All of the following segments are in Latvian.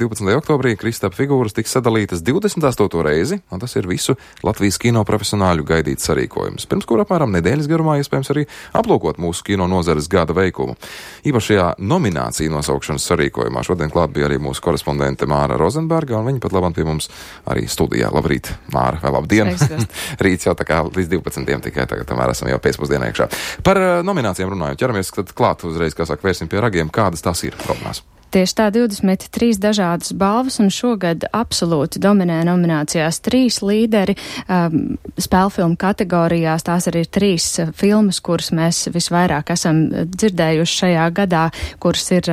12. oktobrī Kristapa figūras tiks sadalītas 28. reizi, un tas ir visu Latvijas kino profesionāļu gaidīts sarīkojums, pirms kura apmēram nedēļas garumā iespējams arī aplūkot mūsu kino nozares gada veikumu. Īpašajā nomināciju nosaukšanas sarīkojumā šodien klāt bija arī mūsu korespondente Māra Rozenberga, un viņa pat labam pie mums arī studijā. Labrīt, Māra, vai labdien! Rīts jau tā kā līdz 12. tikai tagad, tomēr esam jau pēcpusdienā iekšā. Par nominācijām runājot, ķeramies tad klāt uzreiz, kā saka, vērsim pie ragiem, kādas tās ir problēmas. Tieši tā, 23 dažādas balvas, un šogad absolūti dominē nominācijās 3 līderi spēlfilmu kategorijās. Tās arī ir 3 filmas, kuras mēs visvairāk esam dzirdējuši šajā gadā, kuras ir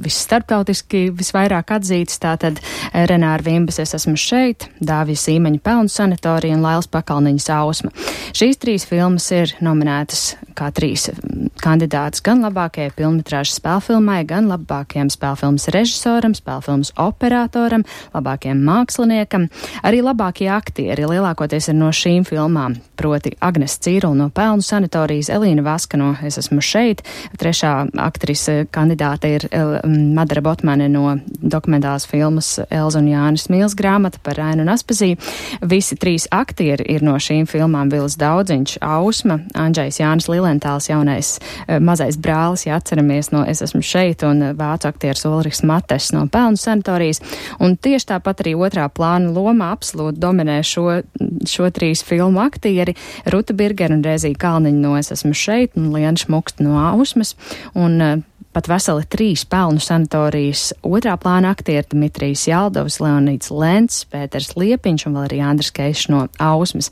visstarptautiski visvairāk atzītas. Tātad Renāra Vimbas Es esmu šeit, Dāvija Sīmeņa Pelnu sanatorija un Lailas Pakalniņas Ausma. Šīs 3 filmas ir nominētas kā 3 kandidātas gan labākajai filmmetrāžas spēlfilmai, gan labākajam spēlfilmas režisoram, spēlfilmas operatoram, labākajam māksliniekam. Arī labākie aktieri lielākoties ir no šīm filmām, proti Agnes Cīrula no Pelnu sanatorijas, Elīna Vaska no Es esmu šeit, 3. aktrise kandidāte ir Madara Botmane no dokumentālās filmas Elza un Jānis Mīls grāmata par Ainu un Aspaziju. Visi 3 aktieri ir no šīm filmām: Vils Daudziņš, Ausma, Andžejs Jānis Lilentāls, jaunais mazais brālis, ja atceramies, no Es esmu šeit, un vācu aktieris Ulrichs Mates no Pelnu sanatorijas. Un tieši tāpat arī otrā plāna lomā absolūti dominē šo 3 filmu aktieri: Ruta Birgera un Rēzija Kalniņa no Es esmu šeit, un Liena Šmuksta no Ausmas, un pat veseli 3 Pelnu sanatorijas otrā plāna aktieri: Dmitrijs Jaldovs, Leonīds Lents, Pēters Liepiņš un vēl arī Andris Keišs no Ausmas.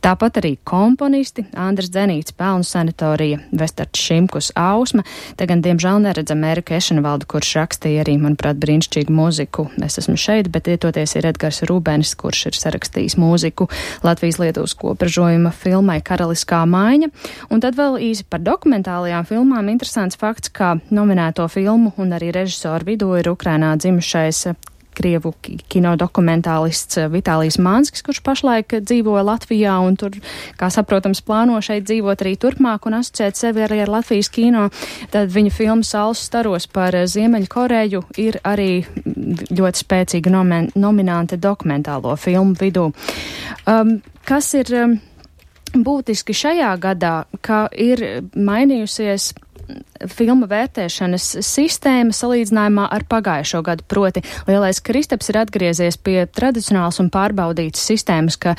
Tāpat arī komponisti: Andris Dzenīts, Pelnu sanatorija, Vestards Šimkus, Ausma. Te gan diemžēl neredzam Eriku Ešenvaldu, kurš rakstīja arī, manuprāt, brīnišķīgu mūziku Es esmu šeit, bet ietoties ir Edgars Rūbenis, kurš ir sarakstījis mūziku Latvijas-Lietuvas kopražojuma filmai Karaliskā maiņa. Un tad vēl īsi par dokumentālajām filmām. Interesants fakts, ka nominēto filmu un arī režisoru vidū ir Ukrainā dzimušais krievu kino dokumentālists Vitālijs Manskis, kurš pašlaik dzīvo Latvijā un tur, kā saprotams, plāno šeit dzīvot arī turpmāk un asociēt sevi arī ar Latvijas kino. Tad viņa filma Saules staros par Ziemeļkoreju ir arī ļoti spēcīga nominante dokumentālo filmu vidū. Kas ir būtiski šajā gadā, ka ir mainījusies filmu vērtēšanas sistēma salīdzinājumā ar pagājušo gadu, proti Lielais Kristaps ir atgriezies pie tradicionāls un pārbaudītas sistēmas, ka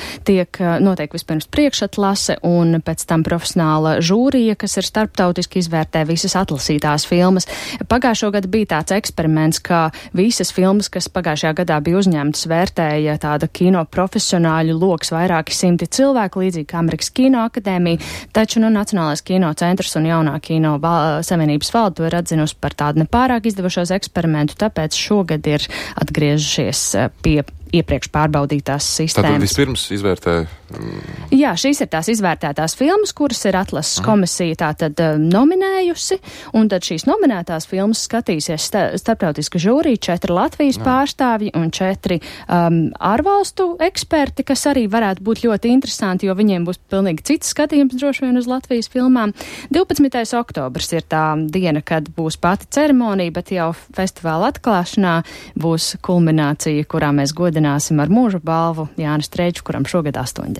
notiek vispirms priekšatlase un pēc tam profesionāla žūrija, kas ir starptautiski izvērtē visas atlasītās filmas. Pagājušo gadu bija tāds eksperiments, ka visas filmas, kas pagājušajā gadā bija uzņemtas, vērtēja tāda kino profesionāļu loks vairāki simti cilvēku, līdzīgi kā Amerikas Kino akadēmija, taču Nacionālais kino centrs un jaunā kino Savienības valde to ir atzinusi par tādu nepārāk izdevušos eksperimentu, tāpēc šogad ir atgriežušies pie iepriekš pārbaudītās sistēmas. Tātad vispirms izvērtē... Jā, šīs ir tās izvērtētās filmas, kuras ir atlases komisija tātad nominējusi, un tad šīs nominētās filmas skatīsies starptautiska žūrija, 4 Latvijas pārstāvji un 4 ārvalstu eksperti, kas arī varētu būt ļoti interesanti, jo viņiem būs pilnīgi cits skatījums droši vien uz Latvijas filmām. 12. oktobrs ir tā diena, kad būs pati ceremonija, bet jau festivāla atklāšanā būs kulminācija, kurā mēs godināsim ar mūža balvu Jānis Streiču, kuram šogad 80.